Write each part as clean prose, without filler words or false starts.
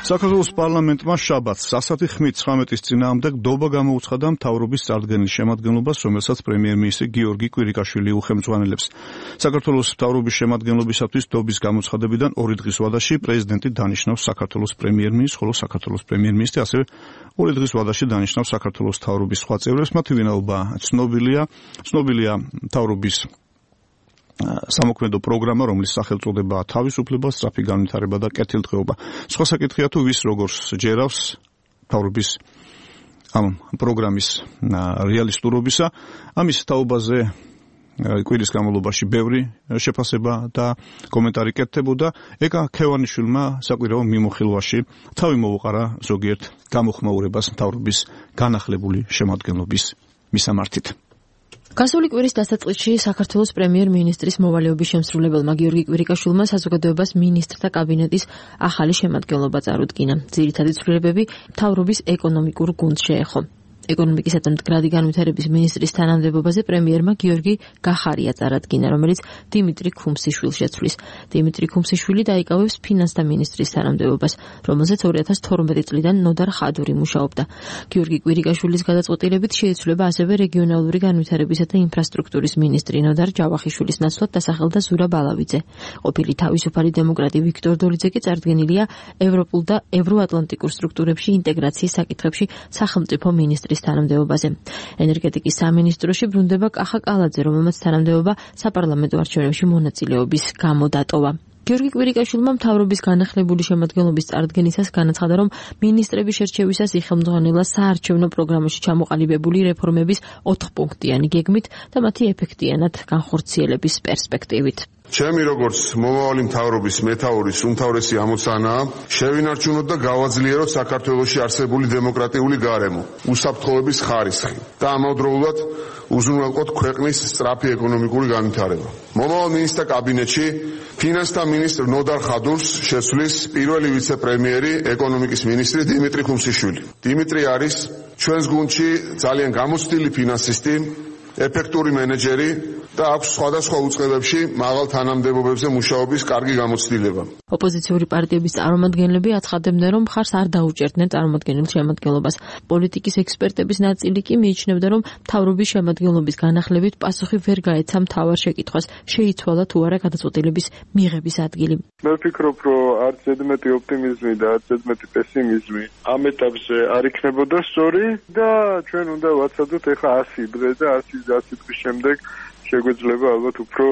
საქართველოს პარლამენტმა შაბათს სასათი ხმით 19-ის წინააღმდეგ დობა გამოუცხადა მთავრობის წარდგენილ შემადგენლობას, რომელსაც პრემიერ-მინისტრი გიორგი კვირიკაშვილი უხელმძღვანელებს. საქართველოს მთავრობის შემადგენლობისათვის დობის გამოცხადებიდან 2 დღის ვადაში პრეზიდენტი დანიშნავს საქართველოს პრემიერ-მინისტრს, ხოლო საქართველოს პრემიერ-მინისტრი ასევე 2 დღის ვადაში დანიშნავს საქართველოს მთავრობის სხვა წევრებს. მათი ვინაობა ცნობილია მთავრობის სამოქმედო პროგრამა, რომლის სახელწოდებაა თავისუფლება, სწრაფი განვითარება და კეთილდღეობა. სხვა საკითხია თუ ვის როგორს ჯერავს მთავრობის ამ პროგრამის რეალისტურობისა. ამის თაობაზე კვირის განმავლობაში ბევრი შეფასება და კომენტარი კეთდებოდა. ეკა ქევანიშვილმა საკვირაო მიმოხილვაში თავი მოუყარა ზოგიერთ გამოხმაურებას მთავრობის განახლებული შემადგენლობის მისამართით. გასული კვირის დასაწყისში საქართველოს პრემიერ-მინისტრის მოვალეობის შემსრულებელმა გიორგი კვირიკაშვილმა საზოგადოებას მინისტრთა კაბინეტის ახალი შემადგენლობა წარუდგინა. ძირითადი ცვლილებები მთავრობის ეკონომიკურ გუნდს შეეხო. ეკონომიკისა და მდგრადი განვითარების მინისტრის თანამდებობაზე პრემიერმა გიორგი გახარია წარადგინა, რომელიც დიმიტრი ქუმსიშვილს შეცვლის. დიმიტრი ქუმსიშვილი დაიკავებს ფინანსთა მინისტრის თანამდებობას, რომელზეც 2012 წლიდან ნოდარ ხადური მუშაობდა. გიორგი კვირიკაშვილის გადაწყვეტილებით შეიცვლება ასევე რეგიონალური განვითარებისა და ინფრასტრუქტურის მინისტრი ნოდარ ჯავახიშვილის ნაცვლად დასახელდა ზურაბ ალავიძე. ყოფილი თავისუფალი დემოკრატი ვიქტორ დოლიძე კი წარდგენილია ევროპულ და ევროატლანტიკურ სტრუქტურებში ინტეგრაციის საკითხებში სახელმწიფო მინისტრის თანამდებობაზე. ენერგეტიკის სამინისტროში ბრუნდება კახა კალაძე, რომელმაც თანამდებობა საპარლამენტო არჩევნებში მონაწილეობის გამო დატოვა. გიორგი კვირიკაშვილმა მთავრობის განახლებული შემადგენლობის წარდგენისას განაცხადა, რომ მინისტრების შერჩევისას იხელმძღვანელა საარჩევნო პროგრამაში ჩამოყალიბებული რეფორმების 4-პუნქტიანი გეგმით და მათი ეფექტიანად განხორციელების პერსპექტივით. ჩემი როგორც მომავალი მთავრობის მეთაურის უმთავრესი ამოცანაა შევინარჩუნოთ და გავაძლიეროთ საქართველოში არსებული დემოკრატიული გარემო, უსაფრთხოების ხარისხი და ამავდროულად უზრუნველყოთ ქვეყნის სწრაფი ეკონომიკური განვითარება. მომავალ მინისტრთა კაბინეტში ფინანსთა მინისტრ ნოდარ ხადურს შეცვლის პირველი ვიცე-პრემიერი ეკონომიკის მინისტრი დიმიტრი ქუმსიშვილი. დიმიტრი არის ჩვენს გუნდში ძალიან გამოცდილი ფინანსისტი, ეფექტური მენეჯერი და აქვს სხვადასხვა უწყებებში მაღალ თანამდებობებზე მუშაობის კარგი გამოცდილება. ოპოზიციური პარტიების წარმომადგენლები აცხადებდნენ, რომ მხარს არ დაუჭერდნენ წარმომადგენელ შემადგენლობას. პოლიტიკის ექსპერტების ნაწილი კი მიიჩნევდა, რომ მთავრობის შემადგენლობის განახლებით პასუხი ვერ გაეცა მთავარ შეკითხვას, შეიცვალა თუ არა გადაწყვეტილების მიღების ადგილი. მე ვფიქრობ, რომ არც ზედმეტი ოპტიმიზმი და არც ზედმეტი პესიმიზმი ამ ეტაპზე არ იქნებოდა სწორი და ჩვენ უნდა ვაცადოთ ეხლა 100 დღე და 100 დღის შემდეგ შეგვეძლება ალბათ უფრო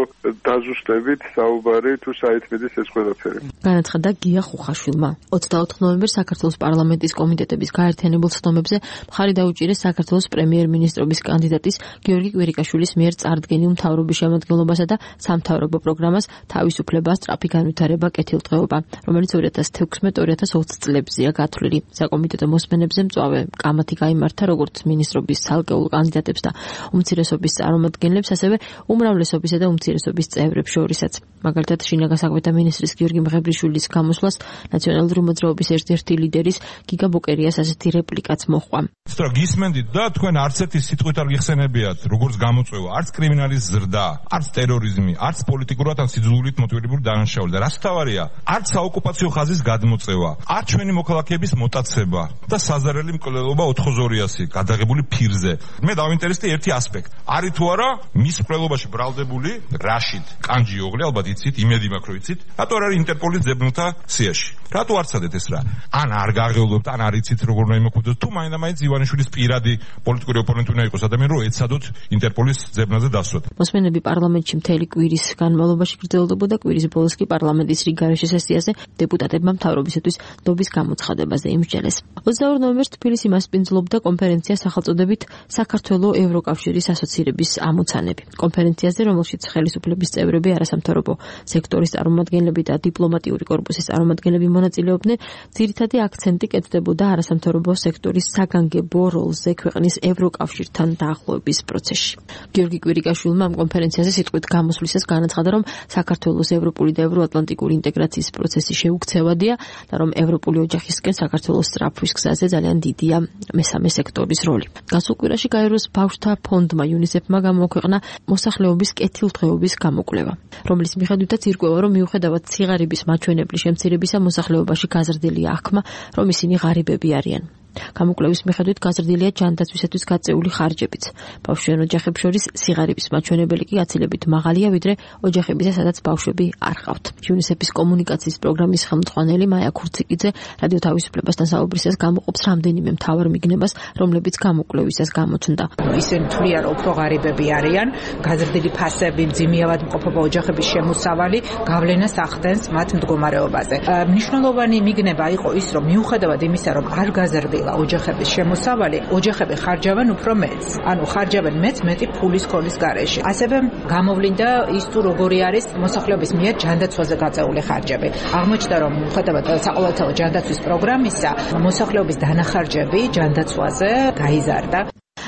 დაზუსტებით საუბარი თუ საითმედის ეს ყველაფერი. განაცხადა გია ხუხაშვილმა. 24 ნოემბერს საქართველოს პარლამენტის კომიტეტების გაერთიანებულ ცდომებზე მხარი დაუჭირეს საქართველოს პრემიერ-მინისტრობის კანდიდატის გიორგი კვირიკაშვილის მიერ წარდგენილ მთავრობის შემადგენლობასა და სამთავრობო პროგრამას თავისუფლება, სწრაფი განვითარება, კეთილდღეობა, რომელიც 2016-2020 წლებზეა გათვლილი. საკომიტეტო მოსმენებზე მწვავე კამათი გაიმართა როგორც მინისტრობის ცალკეულ კანდიდატებს და უმცირესობის წარმომადგენლებს, ასევე უმრავლესობისა და უმცირესობის წევრებს შორისაც. მაგალითად, შინაგან საქმეთა მინისტრის გიორგი მღებრიშვილის გამოსვლას ნაციონალური მოძრაობის ერთ-ერთი ლიდერის გიგა ბოკერიას ასეთი რეპლიკაც მოჰყვა. ცოტა გისმენდით და თქვენ არც ერთი სიტყვით არ გიხსენებიათ, როგორც გამოწვევა, არც კრიმინალის ზრდა, არც ტერორიზმი, არც პოლიტიკურად ან სიძულვილით მოტივირებული დანაშაული და რაც თავარია, არც საოკუპაციო ხაზის გადმოწევა, არც ჩვენი მოქალაქეების მოტაცება და საზარელი მკვლელობა 4-200 გადაღებული ფირზე. მე დავინტერესდი ერთი ასპექტი. არის თუ არა მის მკვლელობაში ბრალდებული რაშიდ კანჯიოღლი, ალბათ იცით, იმედი მაქვს რომ იცით, რატო არ არის ინტერპოლის ძებნელთა სიაში? რატო არ ცადეთ ეს რა? ან არ გაღელვებთ, ან არ იცით როგორ უნდა იმოქმედოთ, თუ მაინდა-მაინც ივანიშვილის პირადი პოლიტიკური ოპონენტი უნდა იყოს ადამიანი, რომ ეცადოთ ინტერპოლის ძებნაზე დასვათ. მოსმენები პარლამენტში მთელი კვირის განმავლობაში გრძელდებოდა. კვირის ბოლოს კი პარლამენტის რიგგარეშე სესიაზე დეპუტატებმა მთავრობისათვის დობის გამოცხადებაზე იმსჯელეს. 22 ნოემბერს თბილისი მასპინძლობდა კონფერენცია სახელწოდებით საქართველოს ევროკავშირის ასოცირების ამოცანები. კონფერენციაზე, რომელშიც ხელისუფლების წევრები, არასამთავრობო სექტორის წარმომადგენლები და დიპლომატიური კორპუსის წარმომადგენლები მონაწილეობდნენ, ძირითადი აქცენტი კეთდებოდა არასამთავრობო სექტორის საგანგებო როლზე ქვეყნის ევროკავშირთან დაახლოების პროცესში. გიორგი კვირიკაშვილმა ამ კონფერენციაზე სიტყვით გამოსვლისას განაცხადა, რომ საქართველოს ევროპული და ევროატლანტიკური ინტეგრაციის პროცესი შეუქცევადია და რომ ევროპული ოჯახისკენ საქართველოს სწრაფვის გზაზე ძალიან დიდია მესამე სექტორის როლი. გასულ კვირაში გაეროს ბავშვთა ფონდმა UNICEF-მა გამოვაქვეყნა მოსახლეობის კეთილდღეობის გამოკვლევა, რომლის მიხედვითაც ირკვევა, რომ მიუხედავად ციგარების მაჩვენებლის შემცირებისა მოსახლეობაში გაზრდილია აღქმა, რომ ისინი ღარიბები არიან. გამოკვლევის მიხედვით გაზრდილია ჯანდაცვისათვის გაწეული ხარჯებიც. ბავშვიან ოჯახებს შორის სიღარიბის მაჩვენებელი კი გაცილებით მაღალია, ვიდრე ოჯახებისა, სადაც ბავშვები არ ყავთ. UNICEF-ის კომუნიკაციის პროგრამის ხელმძღვანელი მაია ქურციკიძე რადიო თავისუფლებასთან საუბრისას გამოყოფს რამდენიმე მთავარ მიგნებას, რომლებიც გამოკვლევისას გამოჩნდა. ისინი თვლიან, რომ უფრო ღარიბები არიან, გაზრდილი ფასები, მძიმეავად მყოფობა ოჯახების შემოსავალი გავლენას ახდენს მათ მდგომარეობაზე. მნიშვნელოვანი მიგნება იყო ის, რომ მიუხედავად იმისა, რომ არ გაზრდილი ოჯახების შემოსავალი, ოჯახები ხარჯავენ უფრო მეტს. ანუ ხარჯავენ მეტი ფულის ქოლის გარეშე. ასევე გამოვლინდა ის თუ როგორი არის მოსახლეობის მიერ ჯანდაცვაზე გაწეული ხარჯები. აღმოჩნდა, რომ მიუხედავად საყოველთაო ჯანდაცვის პროგრამისა, მოსახლეობის დანახარჯები ჯანდაცვაზე გაიზარდა.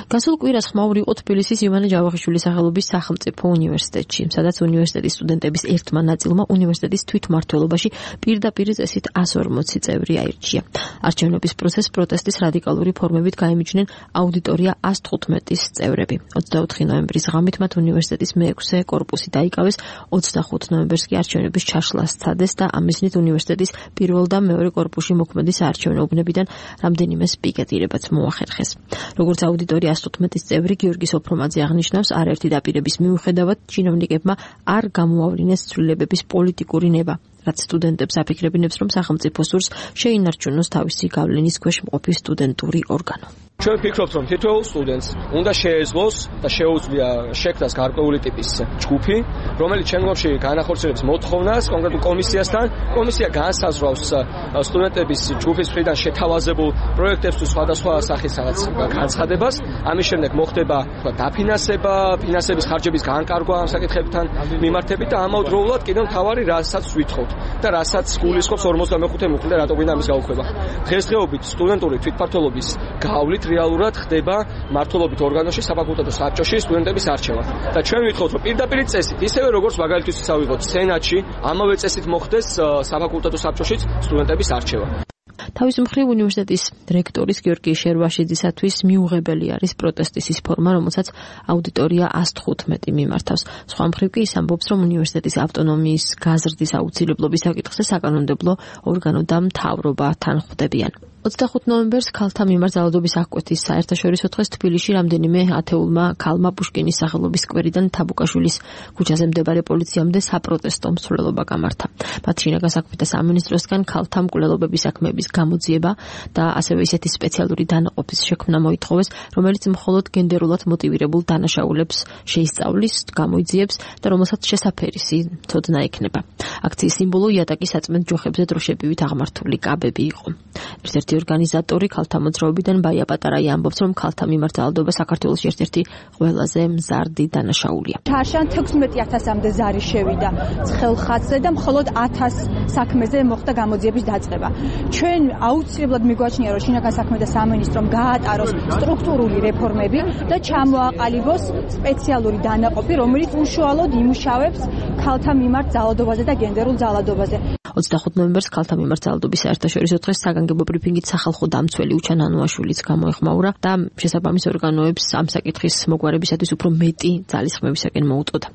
გასულ კვირას ხმაური იყო თბილისის ივანე ჯავახიშვილის სახელობის სახელმწიფო უნივერსიტეტში, სადაც უნივერსიტეტის სტუდენტების ერთმა ნაწილმა უნივერსიტეტის თვითმმართველობაში პირდაპირ წესით 140 წევრი აირჩია. არჩევნების პროტესტის რადიკალური ფორმებით გაიმიჯნენ აუდიტორია 115-ის წევრები. 24 ნოემბრის ღამით მათ უნივერსიტეტის მე-6 კორპუსი დაიკავეს, 25 ნოემბერს კი არჩევნების ჩაშლა სცადეს და ამისნით უნივერსიტეტის პირველ და მეორე კორპუსში მოქმედი საარჩევნო უბნებიდან რამდენიმე პიკეტირებაც მოახერხეს. როგორც აუდიტორია 115-ის წევრი გიორგი სოფრომაძე აღნიშნავს, არაერთი დაპირების მიუხედავად ჩინოვნიკებმა არ გამოავლინეს ცვლილებების პოლიტიკური ნება, რაც სტუდენტებს აფიქრებინებს, რომ სახელმწიფო სურს შეინარჩუნოს თავისი გავლენის ქვეშ მყოფი სტუდენტური ორგანო. ჩვენ ვფიქრობთ, რომ თითოეულ სტუდენტს უნდა შეეძლოს და შეუძლია შექმნას გარკვეული ტიპის ჯგუფი, რომელიც შემდგომში განახორციელებს მოთხოვნას კონკრეტულ კომისიასთან. კომისია განსაზღვრავს სტუდენტების ჯგუფის მხრიდან შეთავაზებულ პროექტებს თუ სხვადასხვა სახის რაღაც განცხადებას. ამის შემდეგ მოხდება დაფინანსება, ფინანსების ხარჯების განკარგვა ამ საკითხებთან მიმართებით და ამავდროულად კიდევ მთავარი რასაც ვითხოვთ და რასაც გულისხმობს 45 მუხლი და რატო გვინდა ამის გაუქმება. დღესდღეობით სტუდენტური თვითმმართველობის გავლით რეალურად ხდება მმართველობით ორგანოში საფაკულტეტო საბჭოში სტუდენტების არჩევა. და ჩვენ ვითხოვთ, რომ პირდაპირ წესით, ისევე როგორც მაგალითად ვიღოთ სენატში, ამავე წესით მოხდეს საფაკულტეტო საბჭოშიც სტუდენტების არჩევა. თავის მხრივ უნივერსიტეტის რექტორის გიორგი შერვაშიძისათვის მიუღებელი არის პროტესტის ის ფორმა, რომელსაც აუდიტორია 115 მიმართავს. სხვა მხრივ კი ის ამბობს, რომ უნივერსიტეტის ავტონომიის გაზრდის აუცილებლობის საკითხზე საკანონმდებლო ორგანო და მთავრობა თან ხვდებიან. 25 ნოემბერს ქალთა მიმართ ძალადობის აღკვეთის საერთაშორისო დღეს თბილისში რამდენიმე ათეულმა ქალმა პუშკინის სახელობის სკვერიდან თაბუკაშვილის ქუჩაზე მდებარე პოლიციამდე საპროტესტო მსვლელობა გამართა. მათ შინაგან საქმეთა სამინისტროსგან ქალთა მკვლელობების საქმეების გამოძიება და ასევე ისეთი სპეციალური დანაყოფის შექმნა მოითხოვეს, რომელიც მხოლოდ გენდერულად მოტივირებულ დანაშაულებს შეისწავლის, გამოიძიებს და რომელსაც შესაფერისი ცოდნა ექნება. აქციის სიმბოლო იატაკის საწმენდ ჯოხებზე დროშებივით აღმართული კაბები იყო. ერთ-ერთი ორგანიზატორი ქალთა მოძრაობიდან ბაია პატარაია ამბობს, რომ ქალთა მიმართ ძალადობა საქართველოს ერთ-ერთი ყველაზე მზარდი დანაშაულია. ჩარშან 16000-მდე ზარი შევიდა ცხელხაცზე და მხოლოდ 1000 საქმეზე მოხდა გამოძიების დაწყება. ჩვენ აუცილებლად მიგვაჩნია, რომ შინაგან საქმეთა სამინისტრომ გაატაროს სტრუქტურული რეფორმები და ჩამოაყალიბოს სპეციალური დანაყოფი, რომელიც უშუალოდ იმუშავებს ქალთა მიმართ ძალადობაზე და გენდერულ ძალადობაზე. 25 ნოემბერს ქალთა მიმართ ძალადობის საერთაშორისო დღეს საგანგებო ბრიფინგით სახალხო დამცველი უჩან ანუაშვილიც გამოეხმაურა და შესაბამის ორგანოებს ამ საკითხის მოგვარებისათვის უფრო მეტი ძალისხმევისაკენ მოუწოდა.